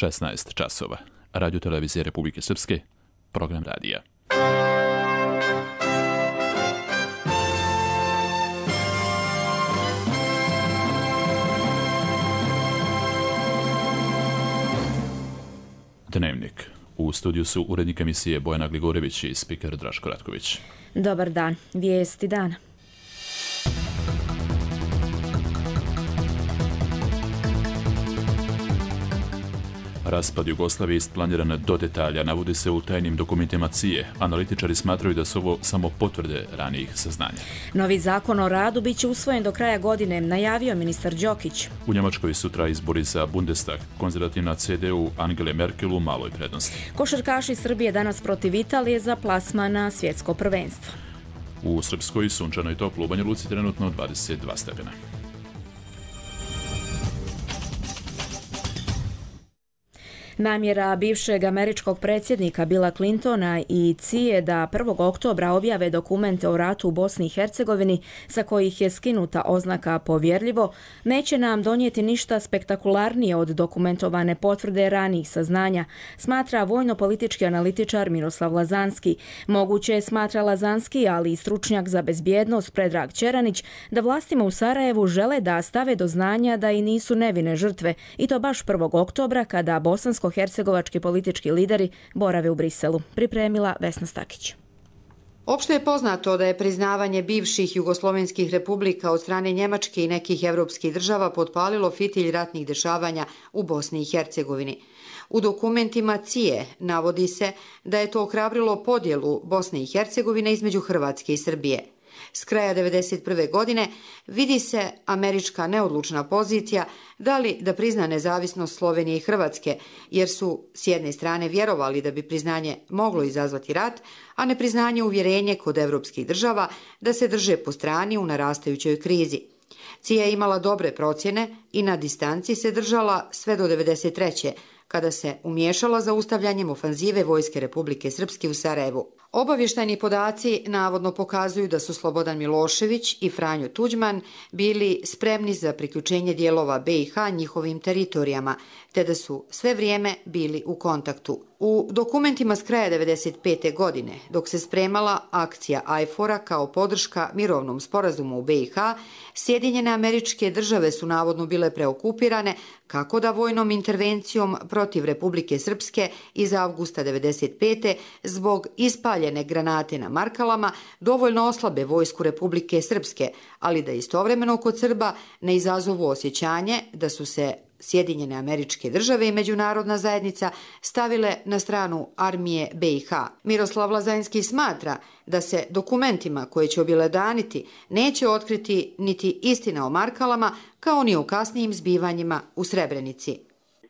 16 časova. Radio Televizije Republike Srpske, program radija. Dnevnik. U studiju su urednik emisije Bojana Gligorević i spiker Draško Ratković. Dobar dan. Vijesti dana. Raspad Jugoslavije isplaniran do detalja, navodi se u tajnim dokumentima CIA. Analitičari smatraju da su ovo samo potvrde ranijih saznanja. Novi zakon o radu biće usvojen do kraja godine, najavio ministar Đokić. U Njemačkoj sutra izbori za Bundestag. Konzervativna CDU Angele Merkel u maloj prednosti. Košarkaši Srbije danas protiv Italije za plasman na svjetsko prvenstvo. U Srpskoj sunčano i toplo, u Banja Luci trenutno 22 stepena. Namjera bivšeg američkog predsjednika Billa Clintona i CIA da 1. oktobra objave dokumente o ratu u Bosni i Hercegovini sa kojih je skinuta oznaka povjerljivo, neće nam donijeti ništa spektakularnije od dokumentovane potvrde ranijih saznanja, smatra vojno-politički analitičar Miroslav Lazanski. Moguće je, smatra Lazanski, ali i stručnjak za bezbjednost Predrag Čeranić, da vlastima u Sarajevu žele da stave do znanja da i nisu nevine žrtve, i to baš 1. oktobra kada bosansko-hercegovački politički lideri borave u Briselu. Pripremila Vesna Stakić. Opšte je poznato da je priznavanje bivših jugoslovenskih republika od strane Njemačke i nekih evropskih država potpalilo fitilj ratnih dešavanja u Bosni i Hercegovini. U dokumentima CIA navodi se da je to ohrabrilo podjelu Bosne i Hercegovine između Hrvatske i Srbije. S kraja 1991. godine vidi se američka neodlučna pozicija da li da prizna nezavisnost Slovenije i Hrvatske, jer su s jedne strane vjerovali da bi priznanje moglo izazvati rat, a nepriznanje uvjerenje kod evropskih država da se drže po strani u narastajućoj krizi. CIA je imala dobre procjene i na distanci se držala sve do 1993. kada se umiješala zaustavljanjem ofanzive Vojske Republike Srpske u Sarajevu. Obavještajni podaci navodno pokazuju da su Slobodan Milošević i Franjo Tuđman bili spremni za priključenje dijelova BiH njihovim teritorijama, te da su sve vrijeme bili u kontaktu. U dokumentima s kraja 1995. godine, dok se spremala akcija IFOR-a kao podrška mirovnom sporazumu u BiH, Sjedinjene Američke Države su navodno bile preokupirane kako da vojnom intervencijom protiv Republike Srpske iz avgusta 1995. zbog ispaljene granate na Markalama dovoljno oslabe vojsku Republike Srpske, ali da istovremeno kod Srba ne izazovu osjećanje da su se Sjedinjene Američke Države i međunarodna zajednica stavile na stranu armije BiH. Miroslav Lazanski smatra da se dokumentima koje će objelodaniti neće otkriti niti istina o Markalama, kao ni o kasnijim zbivanjima u Srebrenici.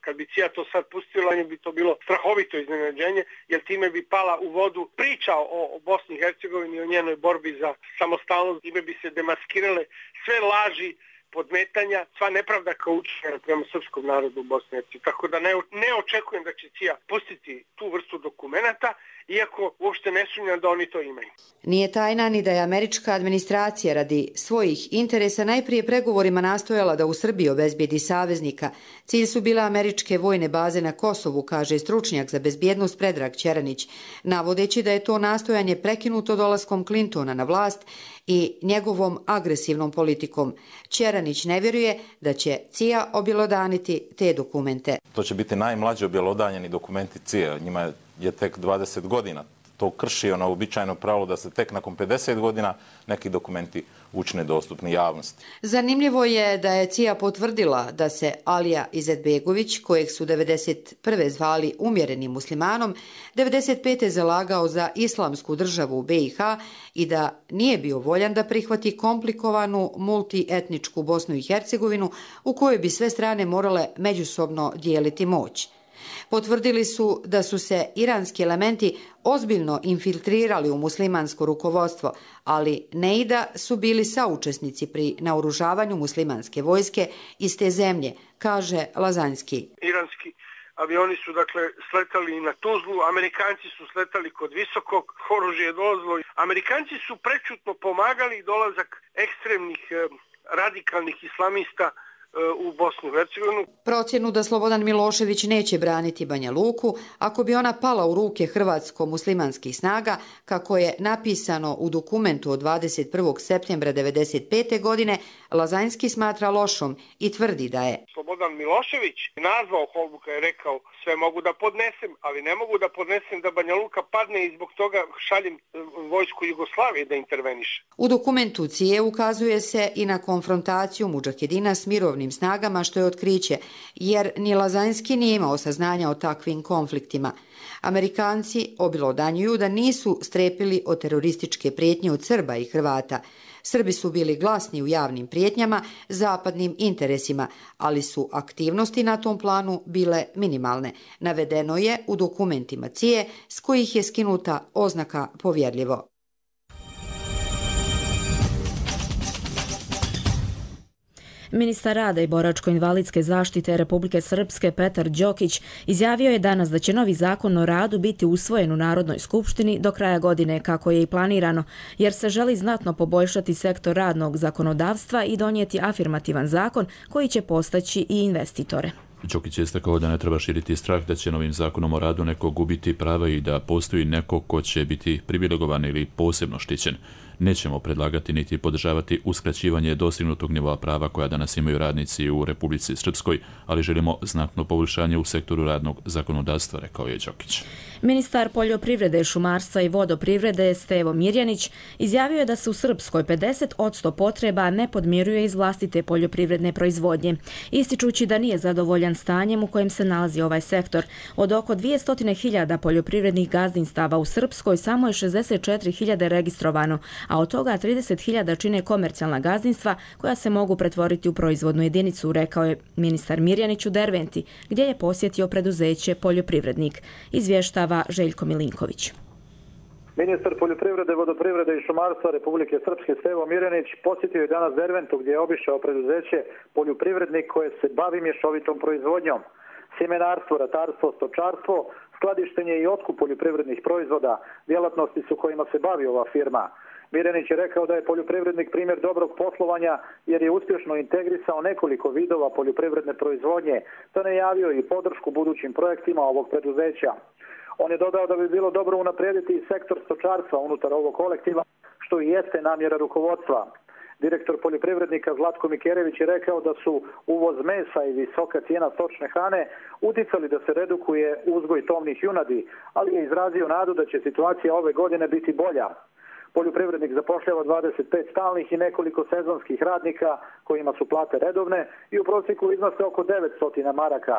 Kad bi CIA to sad pustila, bi to bilo strahovito iznenađenje, jer time bi pala u vodu priča o Bosni i Hercegovini i o njenoj borbi za samostalnost. Time bi se demaskirale sve laži, podmetanja, sva nepravda kao učinjena prema srpskom narodu u Bosni i Hercegovini. Tako da ne očekujem da će CIA pustiti tu vrstu dokumenata, iako uopšte ne sumnjam da oni to imaju. Nije tajna ni da je američka administracija radi svojih interesa najprije pregovorima nastojala da u Srbiji obezbijedi saveznika. Cilj su bile američke vojne baze na Kosovu, kaže stručnjak za bezbjednost Predrag Čeranić, navodeći da je to nastojanje prekinuto dolaskom Clintona na vlast i njegovom agresivnom politikom. Čeranić ne vjeruje da će CIA objelodaniti te dokumente. To će biti najmlađi objelodanjeni dokumenti CIA. Njima je tek 20 godina. To krši ono uobičajeno pravo da se tek nakon 50 godina neki dokumenti učine dostupni javnosti. Zanimljivo je da je CIA potvrdila da se Alija Izetbegović, kojeg su 1991. zvali umjerenim muslimanom, 1995. zalagao za islamsku državu u BiH i da nije bio voljan da prihvati komplikovanu multietničku Bosnu i Hercegovinu u kojoj bi sve strane morale međusobno dijeliti moć. Potvrdili su da su se iranski elementi ozbiljno infiltrirali u muslimansko rukovodstvo, ali ne i da su bili saučesnici pri naoružavanju muslimanske vojske iz te zemlje, kaže Lazanski. Iranski avioni su sletali na Tuzlu, Amerikanci su sletali kod Visokog, oružje je dolazilo. Amerikanci su prečutno pomagali dolazak ekstremnih radikalnih islamista u Bosnu i Hercegovinu. Procjenu da Slobodan Milošević neće braniti Banja Luku ako bi ona pala u ruke hrvatsko-muslimanskih snaga, kako je napisano u dokumentu od 21. septembra 1995. godine, Lazanjski smatra lošom i tvrdi da je Slobodan Milošević nazvao Holbuka i rekao sve mogu da podnesem, ali ne mogu da podnesem da Banja Luka padne i zbog toga šaljem vojsku Jugoslavije da interveniše. U dokumentu CIA ukazuje se i na konfrontaciju mudžahedina s mirovnim snagama, što je otkriće, jer ni Lazanjski nije imao saznanja o takvim konfliktima. Amerikanci obilodanjuju da nisu strepili od terorističke prijetnje od Srba i Hrvata. Srbi su bili glasni u javnim prijetnjama zapadnim interesima, ali su aktivnosti na tom planu bile minimalne. Navedeno je u dokumentima CIA s kojih je skinuta oznaka povjerljivo. Ministar rada i boračko-invalidske zaštite Republike Srpske Petar Đokić izjavio je danas da će novi zakon o radu biti usvojen u Narodnoj skupštini do kraja godine, kako je i planirano, jer se želi znatno poboljšati sektor radnog zakonodavstva i donijeti afirmativan zakon koji će postaći i investitore. Đokić je istakao da ne treba širiti strah da će novim zakonom o radu neko gubiti prava i da postoji neko ko će biti privilegovan ili posebno štićen. Nećemo predlagati niti podržavati uskraćivanje dostignutog nivoa prava koja danas imaju radnici u Republici Srpskoj, ali želimo znatno poboljšanje u sektoru radnog zakonodavstva, rekao je Đokić. Ministar poljoprivrede, šumarstva i vodoprivrede Stevo Mirjanić izjavio je da se u Srpskoj 50% potreba ne podmiruje iz vlastite poljoprivredne proizvodnje, ističući da nije zadovoljan stanjem u kojem se nalazi ovaj sektor. Od oko 200.000 poljoprivrednih gazdinstava u Srpskoj samo je 64.000 registrovano, a od toga 30.000 čine komercijalna gazdinstva koja se mogu pretvoriti u proizvodnu jedinicu, rekao je ministar Mirjanić u Derventi, gdje je posjetio preduzeće Poljoprivrednik. Izvještava Željko Milinković. Ministar poljoprivrede, vodoprivrede i šumarstva Republike Srpske Stevo Mirjanić posjetio je danas Derventu, gdje je obišao preduzeće Poljoprivrednik koje se bavi mješovitom proizvodnjom. Sjemenarstvo, ratarstvo, stočarstvo, skladištenje i otkup poljoprivrednih proizvoda, djelatnosti su kojima se bavi ova firma. Mirjanić je rekao da je poljoprivrednik primjer dobrog poslovanja jer je uspješno integrisao nekoliko vidova poljoprivredne proizvodnje, te najavio i podršku budućim projektima ovog preduzeća. On je dodao da bi bilo dobro unaprijediti i sektor stočarstva unutar ovog kolektiva, što i jeste namjera rukovodstva. Direktor poljoprivrednika Zlatko Mikerević je rekao da su uvoz mesa i visoka cijena stočne hrane uticali da se redukuje uzgoj tovnih junadi, ali je izrazio nadu da će situacija ove godine biti bolja. Poljoprivrednik zapošljava 25 stalnih i nekoliko sezonskih radnika kojima su plate redovne i u prosjeku iznose oko 900 maraka.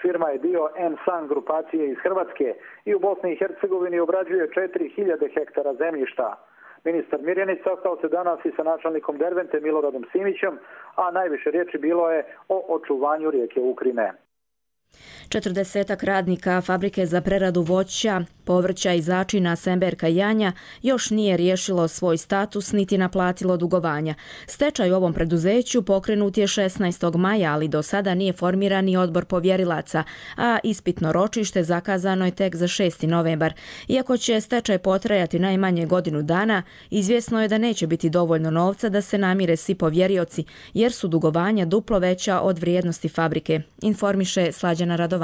Firma je dio M-San grupacije iz Hrvatske i u Bosni i Hercegovini obrađuje 4.000 hektara zemljišta. Ministar Mirjanić sastao se danas i sa načelnikom Dervente Miloradom Simićem, a najviše riječi bilo je o očuvanju rijeke Ukrine. 40 radnika fabrike za preradu voća, povrća i začina Semberka Janja još nije riješilo svoj status niti naplatilo dugovanja. Stečaj u ovom preduzeću pokrenut je 16. maja, ali do sada nije formiran ni odbor povjerilaca, a ispitno ročište zakazano je tek za 6. novembar. Iako će stečaj potrajati najmanje godinu dana, izvjesno je da neće biti dovoljno novca da se namire svi povjerioci, jer su dugovanja duplo veća od vrijednosti fabrike, informiše Slađana Radovanović.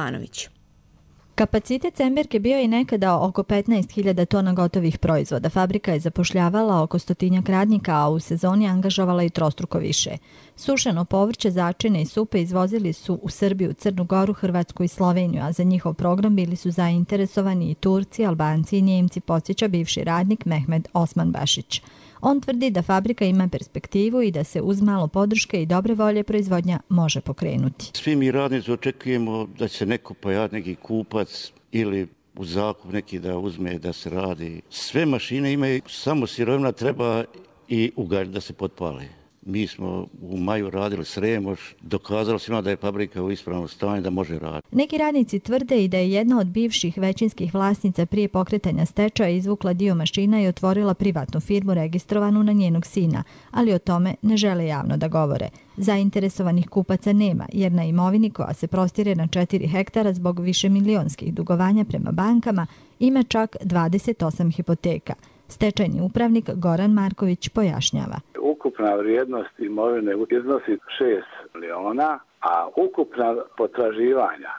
Kapacitet Semberke bio je nekada oko 15.000 tona gotovih proizvoda. Fabrika je zapošljavala oko 100 radnika, a u sezoni angažovala i trostruko više. Sušeno povrće, začine i supe izvozili su u Srbiju, Crnu Goru, Hrvatsku i Sloveniju, a za njihov program bili su zainteresovani i Turci, Albanci i Njemci, podsjeća bivši radnik Mehmed Osmanbašić. On tvrdi da fabrika ima perspektivu i da se uz malo podrške i dobre volje proizvodnja može pokrenuti. Svi mi radnici očekujemo da će se neko pojaviti, neki kupac ili u zakup neki da uzme da se radi. Sve mašine imaju, samo sirovina treba i ugalj da se potpale. Mi smo u maju radili Sremoš, dokazali svima da je fabrika u ispravnom stanju da može raditi. Neki radnici tvrde i da je jedna od bivših većinskih vlasnica prije pokretanja stečaja izvukla dio mašina i otvorila privatnu firmu registrovanu na njenog sina, ali o tome ne žele javno da govore. Zainteresovanih kupaca nema, jer na imovini koja se prostire na 4 hektara zbog višemilionskih dugovanja prema bankama ima čak 28 hipoteka. Stečajni upravnik Goran Marković pojašnjava. Ukupna vrijednost imovine iznosi 6 miliona, a ukupna potraživanja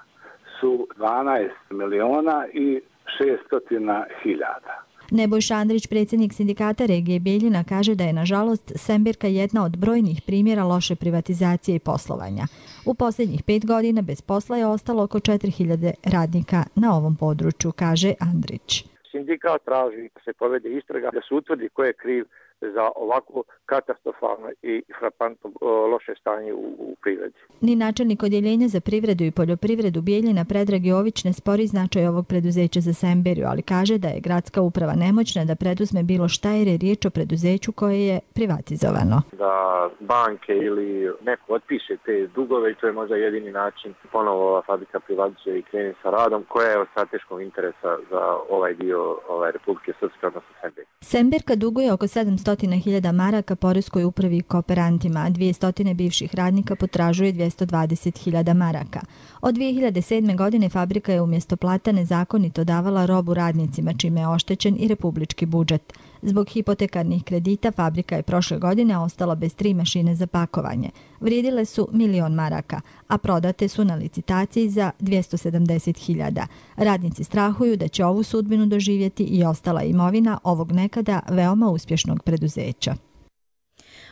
su 12 miliona i 600 hiljada. Nebojša Andrić, predsjednik sindikata regije Bijeljina, kaže da je nažalost Semberka jedna od brojnih primjera loše privatizacije i poslovanja. U posljednjih 5 godina bez posla je ostalo oko 4000 radnika na ovom području, kaže Andrić. Sindikat traži da se povede istraga, da se utvrdi ko je kriv za ovako katastrofalno i frapantno loše stanje u privredi. Ni načelnik odjeljenja za privredu i poljoprivredu Bijeljina Predrag Jović ne spori značaj ovog preduzeća za Semberiju, ali kaže da je gradska uprava nemoćna da preduzme bilo šta jer je riječ o preduzeću koje je privatizovano. Da banke ili neko otpiše te dugove i to je možda jedini način ponovo ova fabrika privatizuje i krene sa radom koja je od strateškog interesa za ovaj dio Republike Srpske, odnosno Semberije. Semberka duguje oko 700.000 maraka poreskoj upravi i kooperantima, a 200 bivših radnika potražuje 220.000 maraka. Od 2007. godine fabrika je umjesto plata nezakonito davala robu radnicima, čime je oštećen i republički budžet. Zbog hipotekarnih kredita fabrika je prošle godine ostala bez 3 mašine za pakovanje. Vrijedile su 1.000.000 maraka, a prodate su na licitaciji za 270.000. Radnici strahuju da će ovu sudbinu doživjeti i ostala imovina ovog nekada veoma uspješnog preduzeća.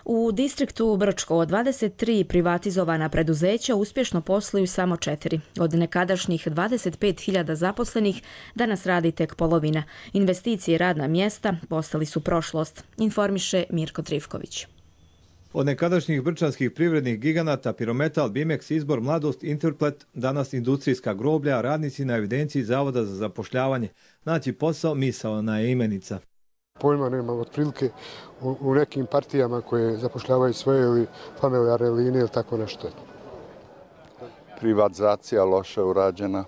U distriktu Brčko od 23 privatizovana preduzeća uspješno posluju samo 4. Od nekadašnjih 25.000 zaposlenih danas radi tek polovina. Investicije i radna mjesta postali su prošlost, informiše Mirko Trivković. Od nekadašnjih brčanskih privrednih giganata Pirometal, Bimex, Izbor, Mladost, Interplet, danas industrijska groblja, radnici na evidenciji Zavoda za zapošljavanje. Naći posao, misaona je imenica. Pojma nema, otprilike u nekim partijama koje zapošljavaju svoje ili familijarne linije ili tako nešto. Privatizacija loša urađena,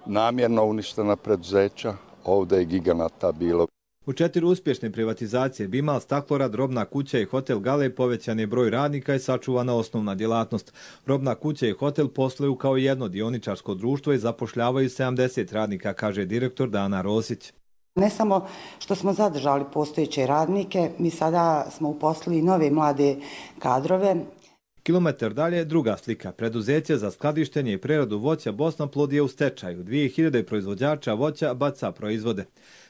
namjerno uništena preduzeća, ovdje je giganata bilo. U 4 uspješne privatizacije Bimal, Staklorad, Robna kuća i hotel Gale povećan je broj radnika i sačuvana osnovna djelatnost. Robna kuća i hotel posluju kao jedno dioničarsko društvo i zapošljavaju 70 radnika, kaže direktor Dana Rosić. Ne samo što smo zadržali postojeće radnike, mi sada smo uposlili nove mlade kadrove. Kilometar dalje druga slika. Preduzeće za skladištenje i preradu voća Bosnaplod je u stečaju. 2000 proizvođača voća baca proizvode.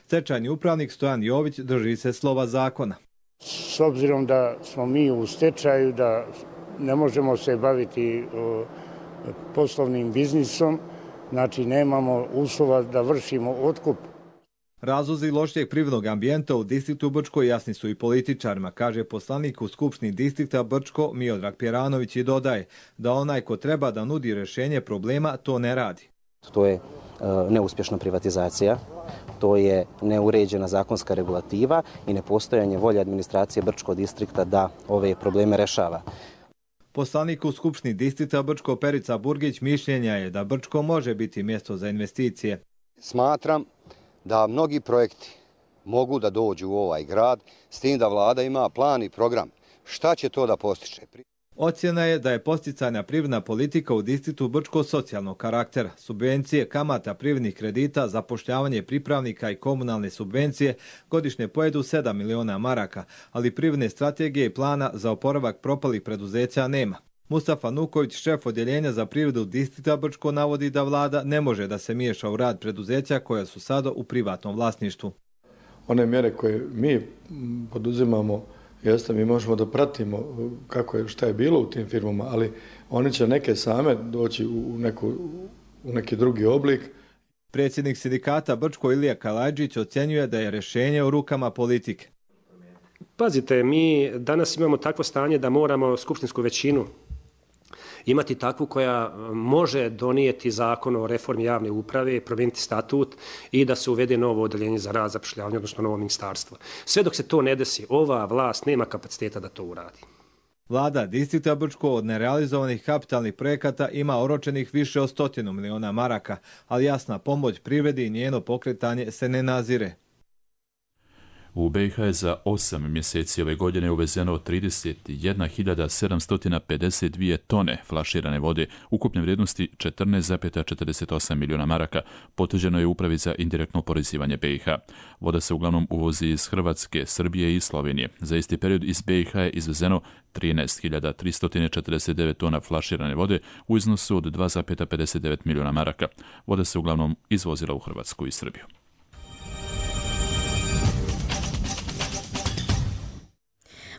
Stečajni upravnik Stojan Jović drži se slova zakona. S obzirom da smo mi u stečaju, da ne možemo se baviti poslovnim biznisom, znači nemamo uslova da vršimo otkup. Razlozi lošijeg privrednog ambijenta u distriktu Brčko jasni su i političarima, kaže poslanik u Skupštini distrikta Brčko Miodrag Pjeranović i dodaje da onaj ko treba da nudi rješenje problema to ne radi. To je neuspješna privatizacija, to je neuređena zakonska regulativa i nepostojanje volje administracije Brčkog distrikta da ove probleme rešava. Poslanik u Skupštini distrikta Brčko Perica Burgić mišljenja je da Brčko može biti mjesto za investicije. Smatram da mnogi projekti mogu da dođu u ovaj grad, s tim da vlada ima plan i program. Šta će to da postiče? Ocjena je da je posticajna privredna politika u distriktu Brčko socijalnog karaktera. Subvencije, kamata privrednih kredita, zapošljavanje pripravnika i komunalne subvencije godišnje pojedu 7 miliona maraka, ali privredne strategije i plana za oporavak propalih preduzeća nema. Mustafa Nuković, šef odjeljenja za privredu distrikta Brčko, navodi da vlada ne može da se miješa u rad preduzeća koja su sada u privatnom vlasništvu. One mjere koje mi poduzimamo, jeste, mi možemo da pratimo šta je bilo u tim firmama, ali oni će neke same doći u neki drugi oblik. Predsjednik sindikata Brčko Ilija Kalajđić ocjenjuje da je rješenje u rukama politike. Pazite, mi danas imamo takvo stanje da moramo skupštinsku većinu imati takvu koja može donijeti zakon o reformi javne uprave, promijeniti statut i da se uvede novo odeljenje za rad, zapošljavanje, odnosno novo ministarstvo. Sve dok se to ne desi, ova vlast nema kapaciteta da to uradi. Vlada distrikta Brčko od nerealizovanih kapitalnih projekata ima oročenih više od 100 miliona maraka, ali jasna pomoć privredi i njeno pokretanje se ne nazire. U BiH je za 8 mjeseci ove godine uvezeno 31.752 tone flaširane vode ukupne vrijednosti 14,48 milijuna maraka, potvrđeno je Upravi za indirektno oporezivanje BiH. Voda se uglavnom uvozi iz Hrvatske, Srbije i Slovenije. Za isti period iz BiH je izvezeno 13.349 tona flaširane vode u iznosu od 2,59 milijuna maraka. Voda se uglavnom izvozila u Hrvatsku i Srbiju.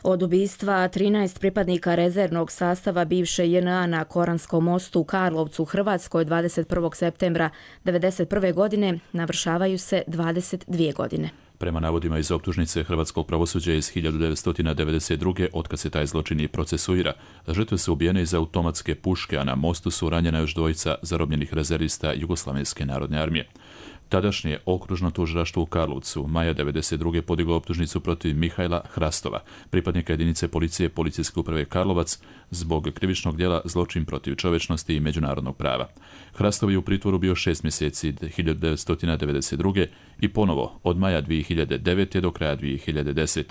Od ubistva 13 pripadnika rezervnog sastava bivše JNA na Koranskom mostu u Karlovcu, Hrvatskoj 21. septembra 1991. godine navršavaju se 22 godine. Prema navodima iz optužnice hrvatskog pravosuđa iz 1992. otkad se taj zločin i procesuira, žrtve su ubijene iz automatske puške, a na mostu su ranjena još dvojica zarobljenih rezervista Jugoslavenske narodne armije. Tadašnje okružno tužilaštvo u Karlovcu maja 1992. podiglo optužnicu protiv Mihajla Hrastova, pripadnika jedinice policije Policijske uprave Karlovac, zbog krivičnog djela zločin protiv čovječnosti i međunarodnog prava. Hrastov je u pritvoru bio 6 mjeseci 1992. i ponovo od maja 2009. do kraja 2010.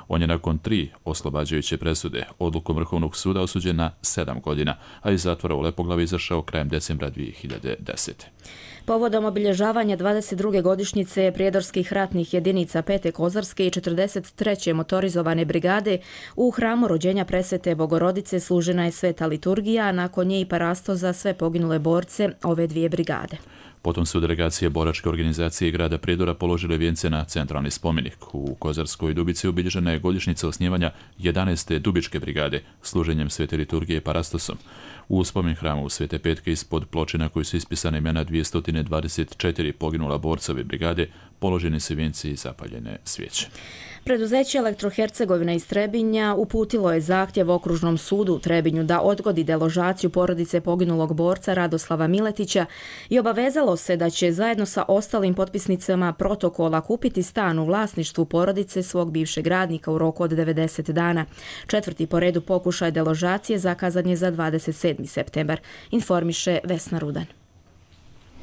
On je nakon 3 oslobađajuće presude odlukom Vrhovnog suda osuđen na 7 godina, a iz zatvora u Lepoglavi izašao krajem decembra 2010. Povodom obilježavanja 22. godišnjice prijedorskih ratnih jedinica 5. kozarske i 43. motorizovane brigade u hramu rođenja Presvete Bogorodice služena je sveta liturgija, a nakon nje i parasto za sve poginule borce ove dvije brigade. Potom su delegacije boračke organizacije grada Prijedora položile vijence na centralni spomenik. U Kozarskoj Dubici obilježena je godišnjica osnivanja 11. Dubičke brigade služenjem svete liturgije parastosom. U spomen hramu Svete Petke ispod ploče na kojoj su ispisane imena 224 poginula borcove brigade položeni su vijenci i zapaljene svijeće. Preduzeće Elektrohercegovina iz Trebinja uputilo je zahtjev Okružnom sudu u Trebinju da odgodi deložaciju porodice poginulog borca Radoslava Miletića i obavezalo se da će zajedno sa ostalim potpisnicama protokola kupiti stan u vlasništvu porodice svog bivšeg radnika u roku od 90 dana. 4. po redu pokušaj deložacije zakazan je za 27. septembar, informiše Vesna Rudan.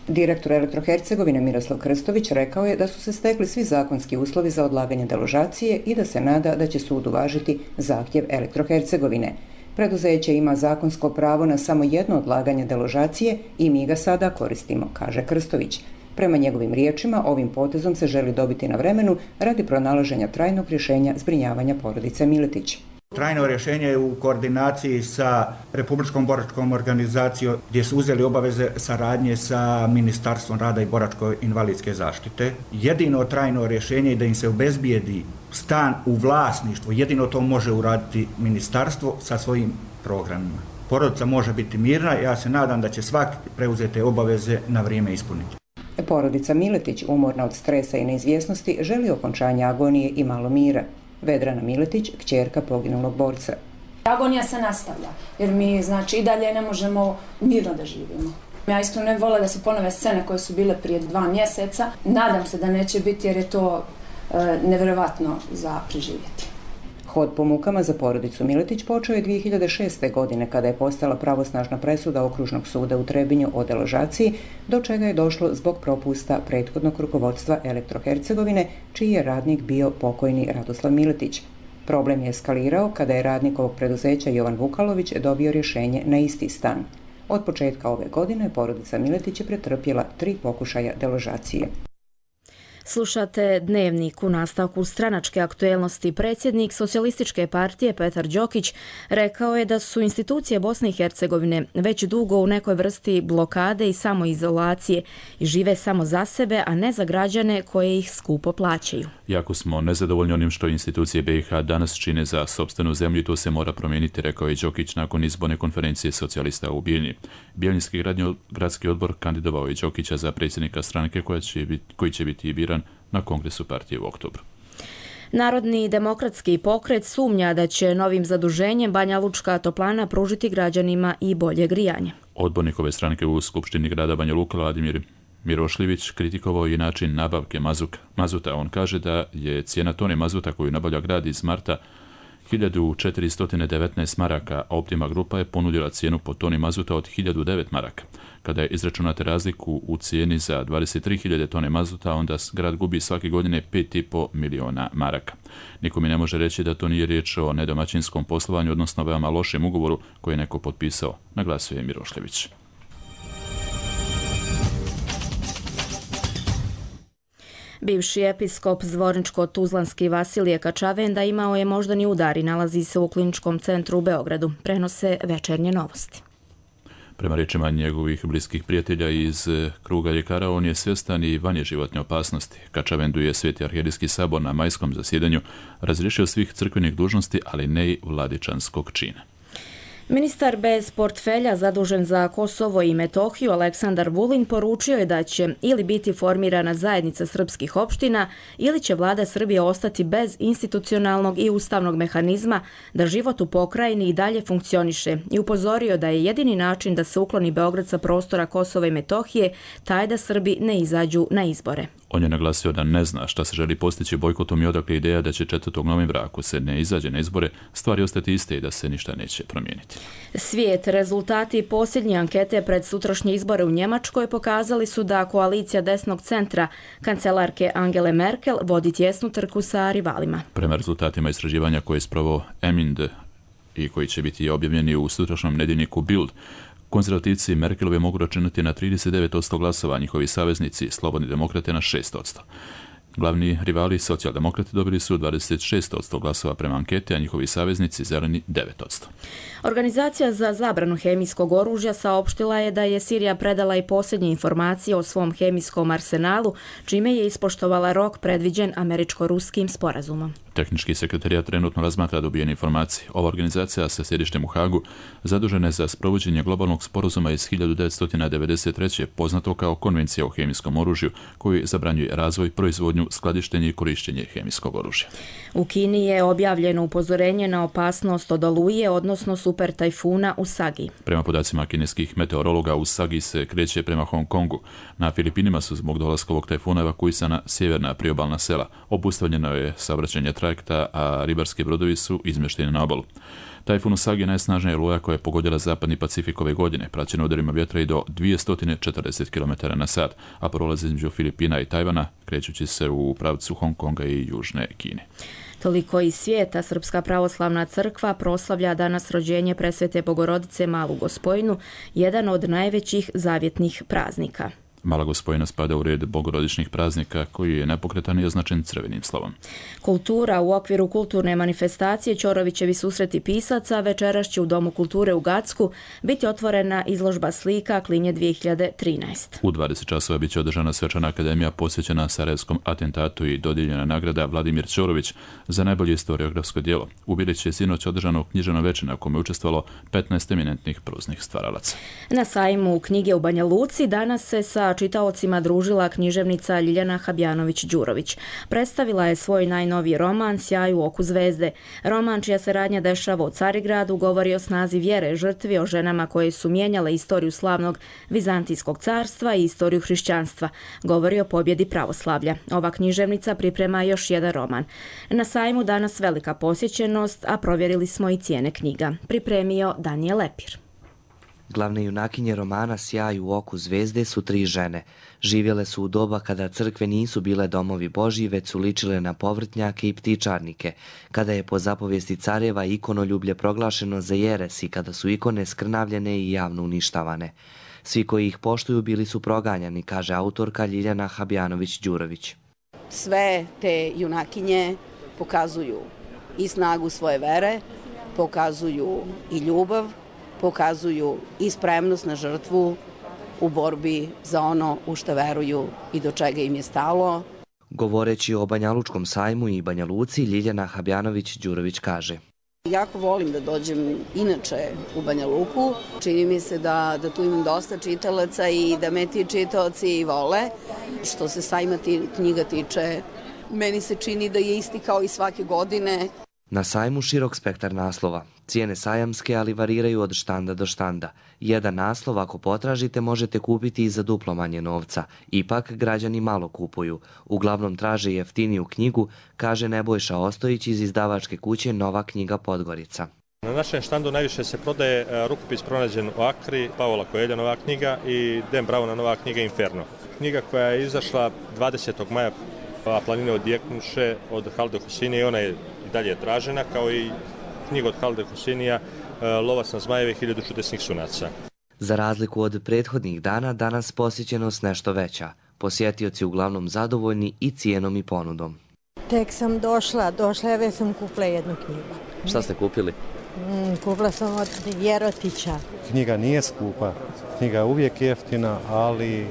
Direktor Elektrohercegovine Miroslav Krstović rekao je da su se stekli svi zakonski uslovi za odlaganje deložacije i da se nada da će sud uvažiti zahtjev Elektrohercegovine. Preduzeće ima zakonsko pravo na samo jedno odlaganje deložacije i mi ga sada koristimo, kaže Krstović. Prema njegovim riječima, ovim potezom se želi dobiti na vremenu radi pronalaženja trajnog rješenja zbrinjavanja porodice Miletić. Trajno rješenje je u koordinaciji sa Republičkom boračkom organizacijom gdje su uzeli obaveze saradnje sa Ministarstvom rada i boračko-invalidske zaštite. Jedino trajno rješenje je da im se obezbijedi stan u vlasništvu. Jedino to može uraditi ministarstvo sa svojim programima. Porodica može biti mirna, ja se nadam da će svaki preuzete obaveze na vrijeme ispuniti. Porodica Miletić, umorna od stresa i neizvjesnosti, želi okončanje agonije i malo mira. Vedrana Miletić, kćerka poginulog borca. Agonija se nastavlja, jer mi i dalje ne možemo mirno da živimo. Ja iskreno ne vole da se ponove scene koje su bile prije 2 mjeseca. Nadam se da neće biti jer je to nevjerovatno za preživjeti. Hod po mukama za porodicu Miletić počeo je 2006. godine kada je postala pravosnažna presuda Okružnog suda u Trebinju o deložaciji, do čega je došlo zbog propusta prethodnog rukovodstva Elektrohercegovine, čiji je radnik bio pokojni Radoslav Miletić. Problem je eskalirao kada je radnik ovog preduzeća Jovan Vukalović dobio rješenje na isti stan. Od početka ove godine porodica Miletić je pretrpjela 3 pokušaja deložacije. Slušate Dnevnik. U nastavku stranačke aktuelnosti predsjednik Socijalističke partije Petar Đokić rekao je da su institucije Bosne i Hercegovine već dugo u nekoj vrsti blokade i samoizolacije i žive samo za sebe, a ne za građane koje ih skupo plaćaju. Jako smo nezadovoljni onim što institucije BiH danas čine za sopstvenu zemlju i to se mora promijeniti, rekao je Đokić nakon izborne konferencije socijalista u Bijeljni. Bijeljinski gradski odbor kandidovao je Đokića za predsjednika stranke koji će biti biran na kongresu partije u oktobru. Narodni demokratski pokret sumnja da će novim zaduženjem Banja Lučka toplana pružiti građanima i bolje grijanje. Odbornik ove stranke u Skupštini grada Banja Luka, Vladimir Mirošljević, kritikovao je način nabavke mazuta. On kaže da je cijena tone mazuta koju nabavlja grad iz marta 1419 maraka, a Optima grupa je ponudila cijenu po toni mazuta od 1009 maraka. Kada je izračunate razliku u cijeni za 23.000 tone mazuta, onda grad gubi svake godine 5,5 miliona maraka. Niko mi ne može reći da to nije riječ o nedomaćinskom poslovanju, odnosno veoma lošem ugovoru koji je neko potpisao, naglasio je Mirošljević. Bivši episkop zvorničko-tuzlanski Vasilije Kačavenda imao je moždani udar i nalazi se u kliničkom centru u Beogradu, prenose Večernje novosti. Prema riječima njegovih bliskih prijatelja iz kruga ljekara, on je svjestan i vanje životne opasnosti. Kačavendu je Sveti arhijerijski sabor na majskom zasjedanju razriješio svih crkvenih dužnosti, ali ne i vladičanskog čina. Ministar bez portfelja zadužen za Kosovo i Metohiju Aleksandar Vulin poručio je da će ili biti formirana zajednica srpskih opština ili će vlada Srbije ostati bez institucionalnog i ustavnog mehanizma da život u pokrajini i dalje funkcioniše i upozorio da je jedini način da se ukloni Beograd sa prostora Kosova i Metohije taj da Srbi ne izađu na izbore. On je naglasio da ne zna šta se želi postići bojkotom i odakle ideja da će 4. novembra, ako se ne izađe na izbore, stvari ostati iste i da se ništa neće promijeniti. Svijet, rezultati posljednje ankete pred sutrašnje izbore u Njemačkoj pokazali su da koalicija desnog centra kancelarke Angele Merkel vodi tjesnu trku sa rivalima. Prema rezultatima istraživanja koje je sproveo Emind i koji će biti objavljeni u sutrašnjem nedjeljniku Bild, konzervativci Merkelove mogu računati na 39% glasova, njihovi saveznici Slobodni demokrate na 6%. Glavni rivali socijaldemokrati dobili su 26% glasova prema ankete, a njihovi saveznici Zeleni 9%. Organizacija za zabranu hemijskog oružja saopštila je da je Sirija predala i posljednje informacije o svom hemijskom arsenalu, čime je ispoštovala rok predviđen američko-ruskim sporazumom. Tehnički sekretarijat trenutno razmatra dobijene informacije. Ova organizacija sa sjedištem u Hagu zadužena je za sprovođenje globalnog sporazuma iz 1993. poznato kao Konvencija o hemijskom oružju, koji zabranjuje razvoj, proizvodnju, skladištenje i korištenje hemijskog oružja. U Kini je objavljeno upozorenje na opasnost od oluje, odnosno super tajfuna Usagi. Prema podacima kineskih meteorologa, Usagi se kreće prema Hong Kongu. Na Filipinima su zbog dolaska ovog tajfuna evakuisana sjeverna priobalna sela. Obustavljeno je saobraćajne trajekta, a ribarski brodovi su izmješteni na obalu. Tajfun Usagi je najsnažnija oluja koja je pogodila zapadni Pacifik ove godine, praćena udarima vjetra i do 240 km na sat, a prolazi između Filipina i Tajvana, krećući se u pravcu Hong Konga i Južne Kine. Toliko iz svijeta. Srpska pravoslavna crkva proslavlja danas rođenje Presvete Bogorodice Malu Gospojinu, jedan od najvećih zavjetnih praznika. Mala Gospojina spada u red bogorodičnih praznika koji je nepokretan i označen crvenim slovom. Kultura. U okviru kulturne manifestacije Ćorovićevi susreti pisaca večeras će u Domu kulture u Gacku biti otvorena izložba slika Klinje 2013. U 20 časova biće održana svečana akademija posvećena sarajevskom atentatu i dodijeljena nagrada Vladimir Ćorović za najbolje historiografsko djelo. U Bilići je sinoć održano književno veče na kome je učestvovalo 15 eminentnih proznih stvaralaca. Na sajmu knjige u Banja Luci danas se sa čitaocima družila književnica Ljiljana Habjanović-Đurović. Predstavila je svoj najnoviji roman Sjaj u oku zvezde. Roman, čija se radnja dešava u Carigradu, govori o snazi vjere, žrtvi, o ženama koje su mijenjale istoriju slavnog Vizantijskog carstva i istoriju hrišćanstva. Govori o pobjedi pravoslavlja. Ova književnica priprema još jedan roman. Na sajmu danas velika posjećenost, a provjerili smo i cijene knjiga. Pripremio Danijel Lepir. Glavne junakinje romana Sjaj u oku zvezde su 3 žene. Živjele su u doba kada crkve nisu bile domovi Božji, već su ličile na povrtnjake i ptičarnike, kada je po zapovijesti careva ikonoljublje proglašeno za jeres i kada su ikone skrnavljene i javno uništavane. Svi koji ih poštuju bili su proganjani, kaže autorka Ljiljana Habjanović-Đurović. Sve te junakinje pokazuju i snagu svoje vere, pokazuju i ljubav, pokazuju i spremnost na žrtvu u borbi za ono u što veruju i do čega im je stalo. Govoreći o Banjalučkom sajmu i Banja Luci, Ljiljana Habjanović-Đurović kaže: Jako volim da dođem inače u Banja Luku. Čini mi se da tu imam dosta čitalaca i da me ti čitaoci vole. Što se sajma knjiga tiče, meni se čini da je isti kao i svake godine. Na sajmu širok spektar naslova. Cijene sajamske, ali variraju od štanda do štanda. Jedan naslov, ako potražite, možete kupiti i za duplo manje novca. Ipak, građani malo kupuju. Uglavnom traže jeftiniju knjigu, kaže Nebojša Ostojić iz izdavačke kuće Nova knjiga Podgorica. Na našem štandu najviše se prodaje rukopis pronađen u Akri, Pavola Coelha nova knjiga i Dan Browna nova knjiga Inferno. Knjiga koja je izašla 20. maja, Planine odjeknuše od Halda Hosseini, ona je i dalje tražena, kao i knjiga od Halda Hoseinija Lovac na zmajeve 1000 čudesnih sunaca. Za razliku od prethodnih dana, danas posjećenost nešto veća. Posjetioci uglavnom zadovoljni i cijenom i ponudom. Tek sam došla, već sam kupila jednu knjigu. Šta ste kupili? Kupila sam od Jerotića. Knjiga nije skupa, knjiga je uvijek jeftina, ali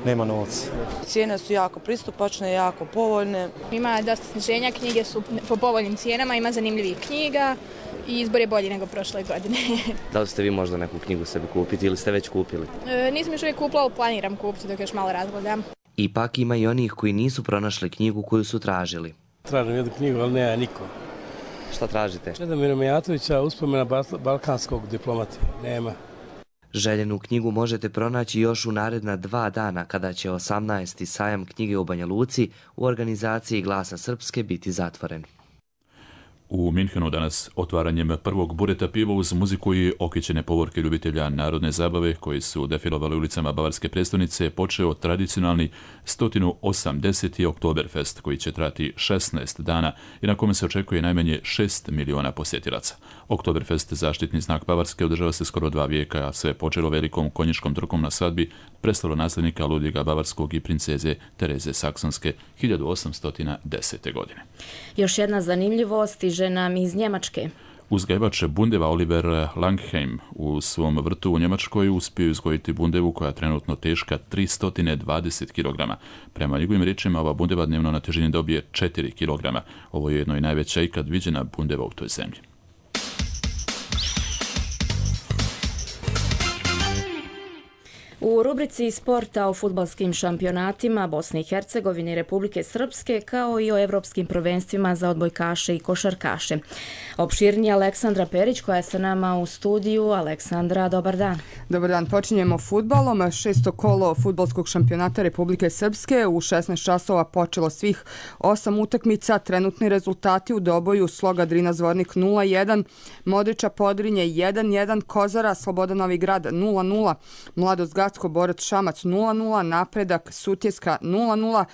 nema novca. Cijene su jako pristupačne, jako povoljne. Ima dosta sniženja, knjige su po povoljnim cijenama, ima zanimljivih knjiga i izbor je bolji nego prošle godine. Da li ste vi možda neku knjigu sebi kupiti ili ste već kupili? Nisam još uvijek kupila, ali planiram kupiti dok još malo razgledam. Ipak ima i onih koji nisu pronašli knjigu koju su tražili. Tražim jednu knjigu, ali nema niko. Šta tražite? Čedomira Mijatovića, Uspomena balkanskog diplomata. Nema. Željenu knjigu možete pronaći još u naredna 2 dana kada će 18. sajam knjige u Banja Luci u organizaciji Glasa Srpske biti zatvoren. U Minhenu danas otvaranjem prvog bureta piva uz muziku i okićene povorke ljubitelja narodne zabave koji su defilovali ulicama bavarske prestonice počeo tradicionalni 180. Oktoberfest koji će trati 16 dana i na kome se očekuje najmanje 6 miliona posjetilaca. Oktoberfest, zaštitni znak Bavarske, održava se skoro 2 vijeka, a sve je počelo velikom konjičkom trkom na svadbi preslalo nasljednika Ludviga Bavarskog i princeze Tereze Saksonske 1810. godine. Još jedna zanimljivost stiže nam iz Njemačke. Uzgajivač bundeva Oliver Langheim u svom vrtu u Njemačkoj uspio izgojiti bundevu koja je trenutno teška 320 kg. Prema njegovim riječima, ova bundeva dnevno na težini dobije 4 kg. Ovo je jedno i najveća ikad viđena bundeva u toj zemlji. U rubrici sporta o fudbalskim šampionatima Bosne i Hercegovine i Republike Srpske, kao i o evropskim prvenstvima za odbojkaše i košarkaše. Opširnije Aleksandra Perić koja je sa nama u studiju. Aleksandra, dobar dan. Dobar dan, počinjemo fudbalom. 6. kolo fudbalskog šampionata Republike Srpske. U 16 časova počelo svih 8 utakmica. Trenutni rezultati u Doboju: Sloga Drina Zvornik 0-1, Modriča Podrinje 1-1, Kozara Sloboda Novi Grad 0-0, Mladost Gacko Borac Šamac 0-0, Napredak Sutjeska 0-0.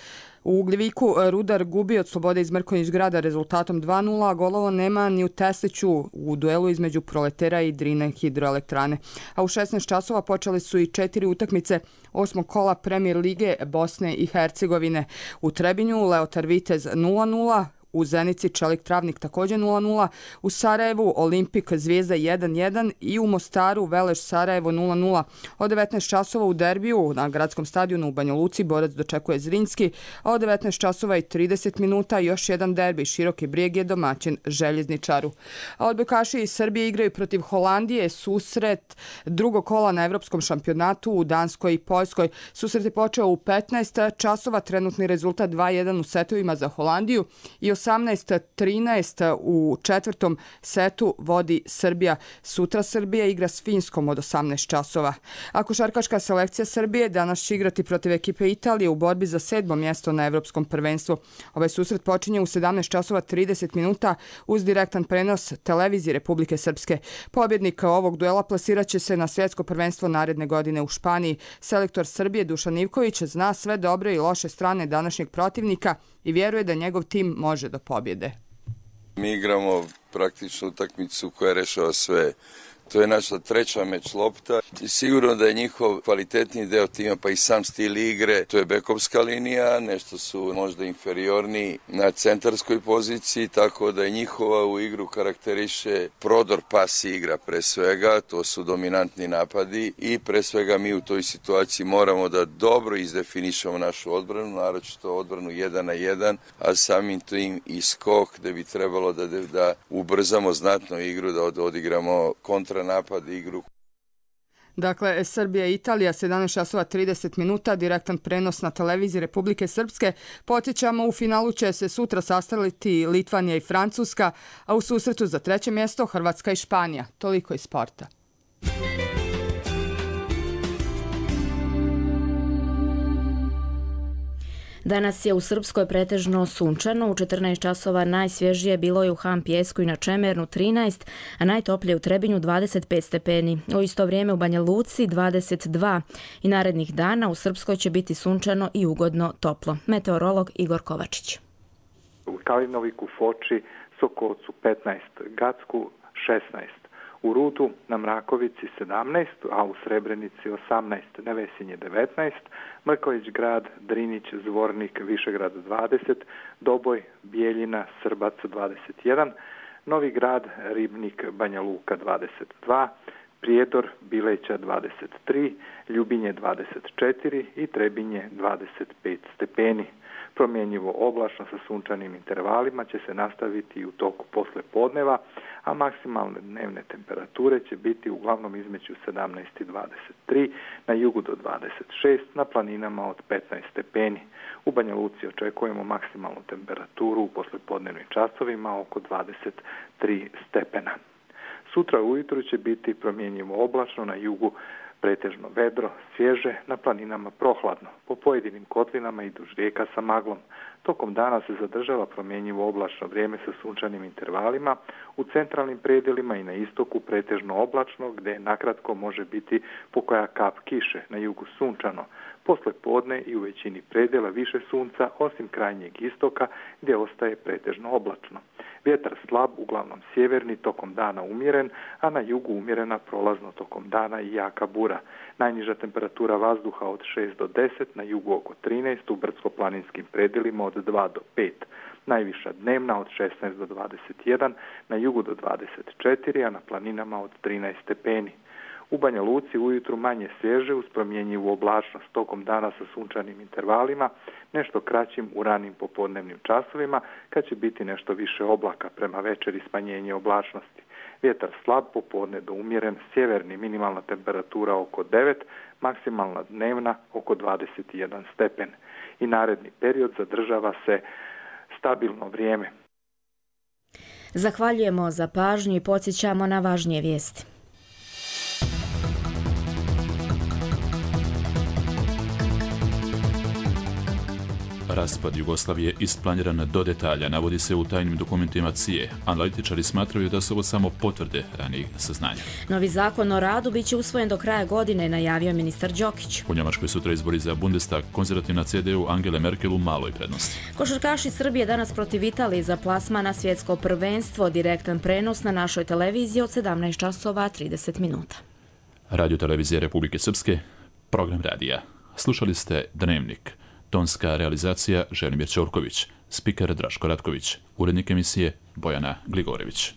U Ugljeviku Rudar gubi od Slobode iz Mrkonjić Grada rezultatom 2-0, a golovo nema ni u Tesliću u duelu između Proletera i Drine hidroelektrane. A u 16 časova počeli su i 4 utakmice 8. kola Premier lige Bosne i Hercegovine. U Trebinju Leotar Vitez 0-0, u Zenici Čelik Travnik također 0-0, u Sarajevu Olimpik Zvijezda 1-1 i u Mostaru Veleš Sarajevo 0-0. Od 19 časova u derbiju na gradskom stadionu u Banja Luci Borac dočekuje Zrinski, a od 19 časova i 30 minuta još jedan derbi Široki Brijeg je domaćin Željezničaru. A odbojkaši iz Srbije igraju protiv Holandije, susret drugog kola na evropskom šampionatu u Danskoj i Poljskoj. Susret je počeo u 15 časova, trenutni rezultat 2-1 u setovima za Holandiju i 18-13 u četvrtom setu vodi Srbija. Sutra Srbija igra s Finskom od 18 časova. A košarkaška selekcija Srbije danas će igrati protiv ekipe Italije u borbi za 7. mjesto na evropskom prvenstvu. Ovaj susret počinje u 17 časova 30 minuta uz direktan prenos televizije Republike Srpske. Pobjednik ovog duela plasirat će se na svjetsko prvenstvo naredne godine u Španiji. Selektor Srbije Dušan Ivković zna sve dobre i loše strane današnjeg protivnika i vjeruje da njegov tim može do pobjede. Mi igramo praktično utakmicu koja rešava sve. To je naša treća meč lopta i sigurno da je njihov kvalitetni deo tima, pa i sam stil igre, to je bekovska linija, nešto su možda inferiorni na centarskoj poziciji, tako da je njihova u igru karakteriše prodor pas igra pre svega, to su dominantni napadi i pre svega mi u toj situaciji moramo da dobro izdefinišemo našu odbranu, naročito odbranu 1 na 1, a samim tim i skok gde bi trebalo da ubrzamo znatno igru, da odigramo kontra napad igru. Dakle, Srbija i Italija, 17:30, direktan prenos na televiziji Republike Srpske. Podsjećamo, u finalu će se sutra sastaviti Litvanija i Francuska, a u susretu za 3. mjesto Hrvatska i Španija. Toliko iz sporta. Danas je u Srpskoj pretežno sunčano, u 14 časova najsvježije bilo je u Han Pijesku i na Čemernu 13, a najtoplije u Trebinju 25 stepeni. U isto vrijeme u Banja Luci 22 i narednih dana u Srpskoj će biti sunčano i ugodno toplo. Meteorolog Igor Kovačić. U Kalinoviku, Foči, Sokolcu 15, Gacku 16. U Rudu na Mrakovici 17, a u Srebrenici 18, Nevesinje 19, Mrković grad, Drinić, Zvornik, Višegrad 20, Doboj, Bijeljina, Srbac 21, Novi grad, Ribnik, Banja Luka 22, Prijedor, Bileća 23, Ljubinje 24 i Trebinje 25 stepeni. Promjenjivo oblačno sa sunčanim intervalima će se nastaviti u toku posle podneva, a maksimalne dnevne temperature će biti uglavnom između 17 i 23, na jugu do 26, na planinama od 15 stepeni. U Banja Luci očekujemo maksimalnu temperaturu u poslepodnevnim časovima oko 23 stepena. Sutra ujutru će biti promjenjivo oblačno, na jugu pretežno vedro, svježe, na planinama prohladno, po pojedinim kotlinama i duž rijeka sa maglom. Tokom dana se zadržava promjenjivo oblačno vrijeme sa sunčanim intervalima, u centralnim predjelima i na istoku pretežno oblačno, gdje nakratko može biti pokoja kap kiše, na jugu sunčano. Posle podne i u većini predjela više sunca, osim krajnjeg istoka, gdje ostaje pretežno oblačno. Vjetar slab, uglavnom sjeverni, tokom dana umjeren, a na jugu umjerena prolazno tokom dana i jaka bura. Najniža temperatura vazduha od 6 do 10, na jugu oko 13, u brdsko-planinskim predjelima od 2 do 5. Najviša dnevna od 16 do 21, na jugu do 24, a na planinama od 13 stepeni. U Banja Luci ujutru manje svježe uz promjenjivu oblačnost, tokom dana sa sunčanim intervalima, nešto kraćim u ranim popodnevnim časovima, kad će biti nešto više oblaka, prema večeri smanjenje oblačnosti. Vjetar slab, popodne do umjeren, sjeverni, minimalna temperatura oko 9, maksimalna dnevna oko 21 stepen. I naredni period zadržava se stabilno vrijeme. Zahvaljujemo za pažnju i podsjećamo na važnije vijesti. Raspad Jugoslavije isplaniran do detalja, navodi se u tajnim dokumentima CIA. Analitičari smatraju da su ovo samo potvrde ranijih saznanja. Novi zakon o radu biće usvojen do kraja godine, najavio ministar Đokić. U Njemačkoj sutra izbori za Bundestag, konzervativna CDU Angele Merkel u maloj prednosti. Košarkaši Srbije danas protiv Italije za plasman na svjetsko prvenstvo, direktan prenos na našoj televiziji od 17:30. Radio televizije Republike Srpske, program radija. Slušali ste Dnevnik. Tonska realizacija Želimir Ćorković, spiker Draško Ratković, urednik emisije Bojana Gligorević.